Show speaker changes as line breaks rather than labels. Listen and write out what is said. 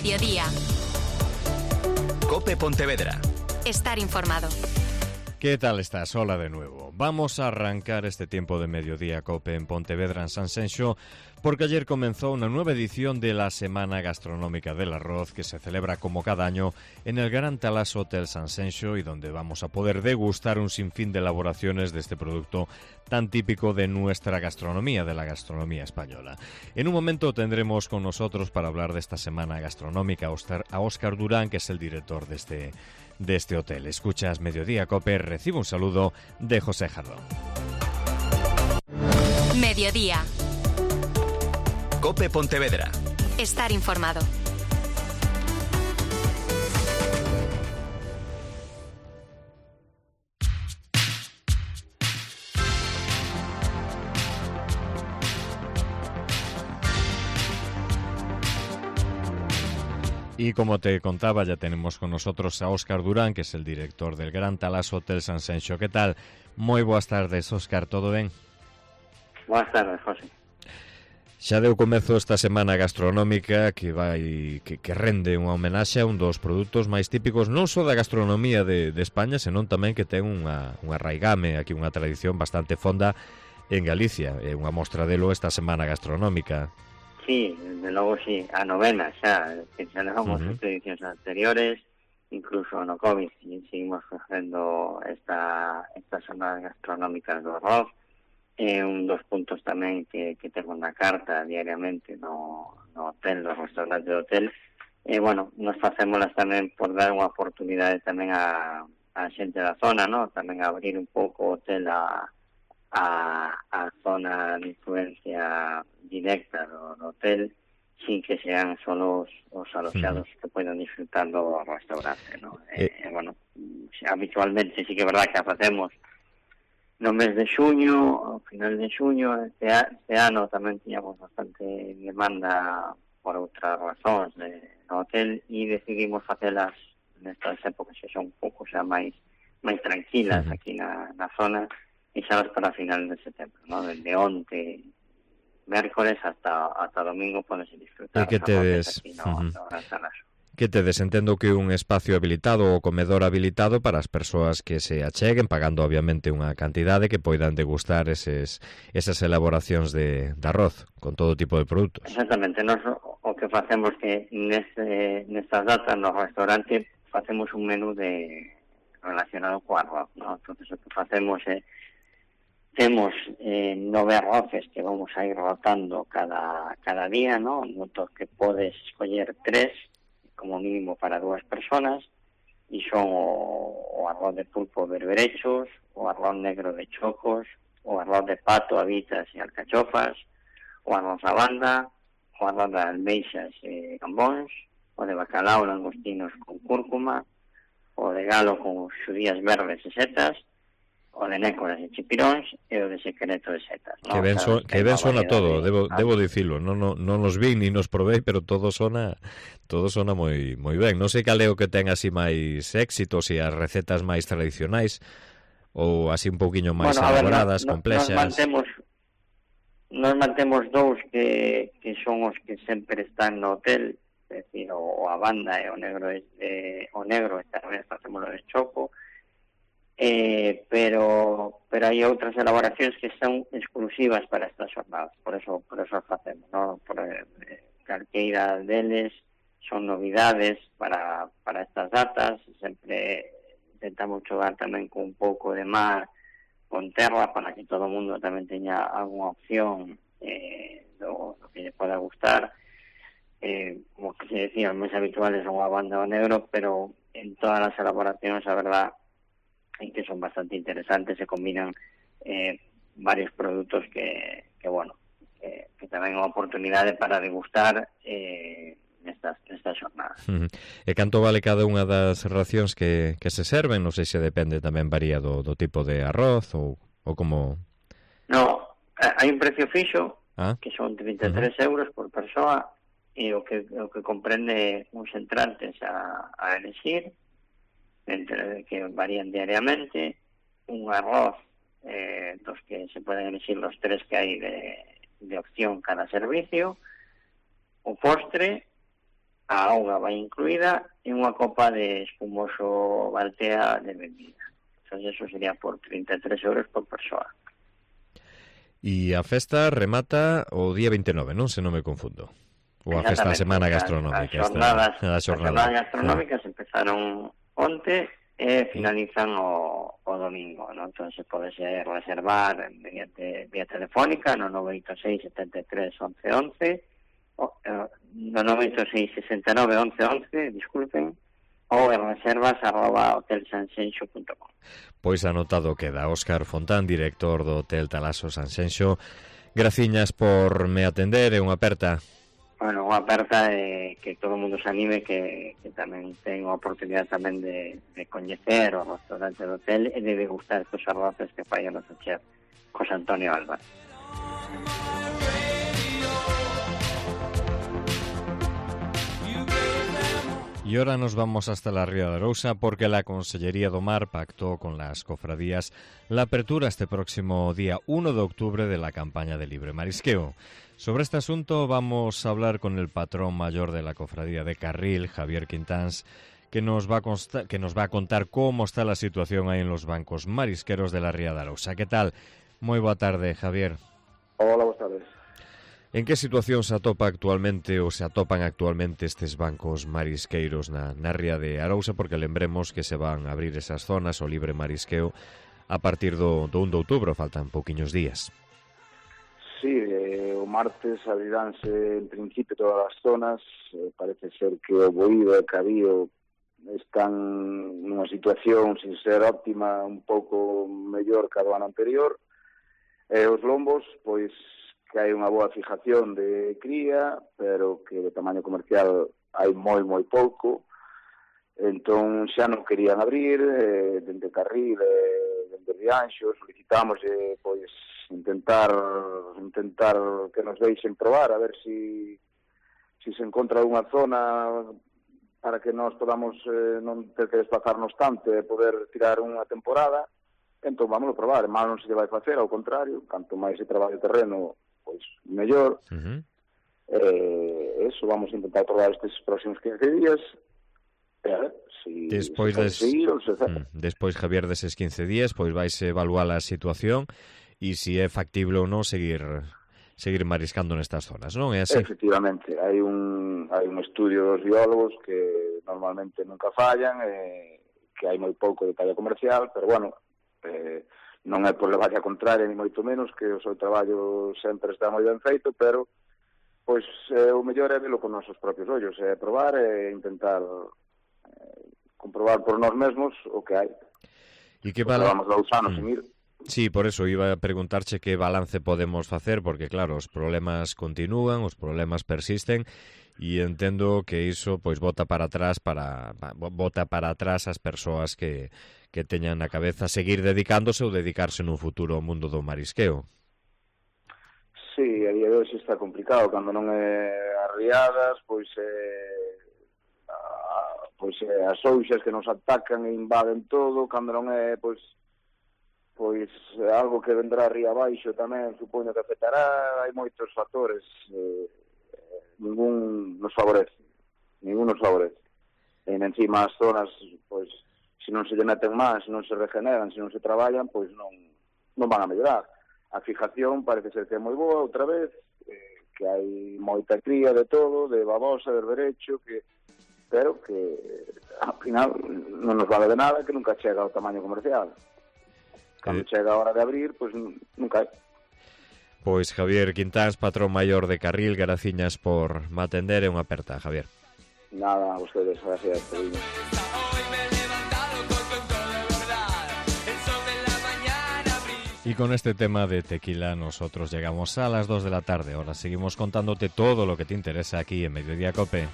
Mediodía.
COPE Pontevedra.
Estar informado.
¿Qué tal estás? Hola de nuevo. Vamos a arrancar este tiempo de Mediodía COPE en Pontevedra, en Sanxenxo, porque ayer comenzó una nueva edición de la Semana Gastronómica del Arroz, que se celebra como cada año en el Gran Talas Hotel Sanxenxo y donde vamos a poder degustar un sinfín de elaboraciones de este producto tan típico de nuestra gastronomía, de la gastronomía española. En un momento tendremos con nosotros para hablar de esta Semana Gastronómica a Óscar Durán, que es el director de este hotel. Escuchas Mediodía COPE, recibe un saludo de José Jardón.
Mediodía.
COPE Pontevedra.
Estar informado.
Y como te contaba, ya tenemos con nosotros a Óscar Durán, que es el director del Gran Talas Hotel Sanxenxo. ¿Qué tal? Moi boas tardes, Óscar, todo ben?
Boas tardes, José.
Xa deu comezo esta semana gastronómica que rende unha homenaxe a un dos produtos máis típicos non só da gastronomía de España, senón tamén que ten unha raigame, aquí unha tradición bastante fonda en Galicia. É unha mostra delo esta semana gastronómica.
Sí, desde logo sí, a novena xa, que xa levamos as edicións anteriores, incluso no COVID seguimos facendo estas semanas gastronómicas do arroz. É un dos puntos tamén que tengo na carta diariamente no hotel, no restaurante do hotel. Bueno, nos facémolas tamén por dar unha oportunidade tamén a xente da zona, ¿no? Tamén a abrir un pouco o hotel a zona de influencia directa do hotel, sin que sean solo os aloxados que poden disfrutar do restaurante, ¿no? Bueno, habitualmente sí que é verdad que a facemos no mes de xuño, ao final de xuño. Este ano tamén tiñamos bastante demanda por outras razóns no hotel e decidimos facelas nestas épocas que son un pouco xa máis tranquilas aquí na zona, e xa para final de setembro, ¿no? Desde onte mércoles hasta domingo podes disfrutar.
E que tedes
aquí no Gran Talas.
Que tedes, entendo que un espacio habilitado ou comedor habilitado para as persoas que se acheguen, pagando obviamente unha cantidade que poidan degustar esas elaboracións de arroz con todo tipo de produtos.
Exactamente, nos o que facemos que nestas datas no restaurante facemos un menú relacionado co arroz, ¿no? Entonces o que facemos é temos 9 arroces que vamos a ir rotando cada día, ¿no? Noto que podes escoller 3 como mínimo para 2 personas, e son o arroz de pulpo berberechos, o arroz negro de chocos, o arroz de pato, habitas e alcachofas, o arroz a banda, o arroz de almeixas e gambóns, o de bacalao, langostinos con cúrcuma, o de galo con xudías verdes e setas, o de nécoras e chipiróns e o de secreto de setas, ¿no?
Que ben sona todo, debo dicilo, non nos vi ni nos probei, pero todo sona moi ben. Non sei cal é o que ten así máis éxito, se as recetas máis tradicionais ou así un pouquiño máis elaboradas, complexas.
Nos mantemos 2 que son os que sempre están no hotel, é dicir, o a banda e o negro, esta vez facémoslo de choco. Pero hai outras elaboracións que son exclusivas para estas jornadas, por eso as facemos, ¿no? Calqueira deles son novidades para estas datas. Sempre intentamos xogar tamén con un pouco de mar, con terra, para que todo o mundo tamén teña algunha opción do que lle poda gustar. Como que se decía, os máis habituales son a banda o negro, pero en todas as elaboracións, a verdad, en que son bastante interesantes, se combinan varios produtos que tamén é unha oportunidade para degustar nestas jornadas.
E canto vale cada unha das racións que se serven? Non sei se depende, tamén varía do tipo de arroz ou como...
No, hai un precio fixo que son 33 euros por persoa, e o que comprende uns entrantes a elegir, entre que varían diariamente, un arroz dos que se pueden elegir los 3 que hay de opción cada servicio, o postre, a auga vai incluída e unha copa de espumoso Baltea de bebida. Entón, eso sería por 33 euros por persoa.
E a festa remata o día 29, non? Se non me confundo. Ou a festa, a semana gastronómica.
As jornadas gastronómicas empezaron onte e finalizan o domingo, non? Entón, se pode reservar vía telefónica no 986 73 11 11, no 986 69 11 11, disculpen, ou en reservas@hotelsanxenxo.com.
Pois anotado queda. Óscar Fontán, director do Hotel Talaso Sanxenxo. Graciñas por me atender e unha aperta.
Bueno, unha aperta que todo o mundo se anime, que tamén ten a oportunidade tamén de coñecer o restaurante do hotel e de degustar estos arroces que fai o noso chef José Antonio Alba.
Y ahora nos vamos hasta la Ría de Arousa porque la Consellería do Mar pactó con las cofradías la apertura este próximo día 1 de octubre de la campaña de libre marisqueo. Sobre este asunto vamos a hablar con el patrón mayor de la cofradía de Carril, Javier Quintáns, que nos va a contar cómo está la situación ahí en los bancos marisqueros de la Ría de Arousa. ¿Qué tal? Muy boa tarde, Javier.
Hola, boas tardes.
En que situación se atopan actualmente estes bancos marisqueiros na Ría de Arousa? Porque lembremos que se van a abrir esas zonas o libre marisqueo a partir do 1 de outubro, faltan pouquiños días.
Sí, o martes abriránse en principio todas as zonas. Parece ser que o Boído e Cabío están nunha situación, sin ser óptima, un pouco mellor que a do ano anterior. Os lombos, pois, que hai unha boa fijación de cría, pero que de tamaño comercial hai moi pouco. Entón xa non querían abrir, dende Carril, dende Rianxo, solicitamos pois intentar que nos deixen probar, a ver si se encontra unha zona para que nós podamos non ter que desplazarnos tanto e poder tirar unha temporada. Entón vamos a probar, mal non se lle vai facer, ao contrario, canto máis se traballo o terreno, pois mellor. Eso vamos a intentar probar estes próximos 15 días.
Despois, Javier, deses 15 días, pois vais evaluar a situación e se é factible ou non seguir mariscando nestas zonas, non é así?
Efectivamente, hai un estudio dos biólogos que normalmente nunca fallan, que hai moi pouco de talla comercial, pero bueno, non é por levar a contraria ni moito menos, que o seu traballo sempre está moi ben feito, pero pois o mellor é velo con nosos propios ollos, é probar e intentar comprobar por nós mesmos o que hai.
E que levamos
2 anos sin ir.
Sí, por eso iba a preguntarche que balance podemos facer, porque claro, os problemas continúan, os problemas persisten, e entendo que iso pois bota para atrás as persoas que teñan na cabeza seguir dedicándose ou dedicarse nun futuro ao mundo do marisqueo.
Sí, a día de hoxe está complicado, cando non é as riadas, pois as ouxas que nos atacan e invaden todo, cando non é pois algo que vendrá ría abaixo tamén, supoño que afectará, hai moitos factores, ningún nos favorece. E encima as zonas, pois, se non se lle meten máis, se non se regeneran, se non se traballan, pois non van a mellorar. A fijación parece ser que é moi boa outra vez, que hai moita cría de todo, de babosa, de berberecho, pero que ao final non nos vale de nada, que nunca chega ao tamaño comercial. Cando chega a hora de abrir, pois nunca hai.
Pois Javier Quintáns, patrón maior de Carril, graciñas por me atender e unha aperta, Javier.
Nada, a vostedes, gracias.
Y con este tema de tequila nosotros llegamos a las 2 de la tarde. Ahora seguimos contándote todo lo que te interesa aquí en Mediodía Cope.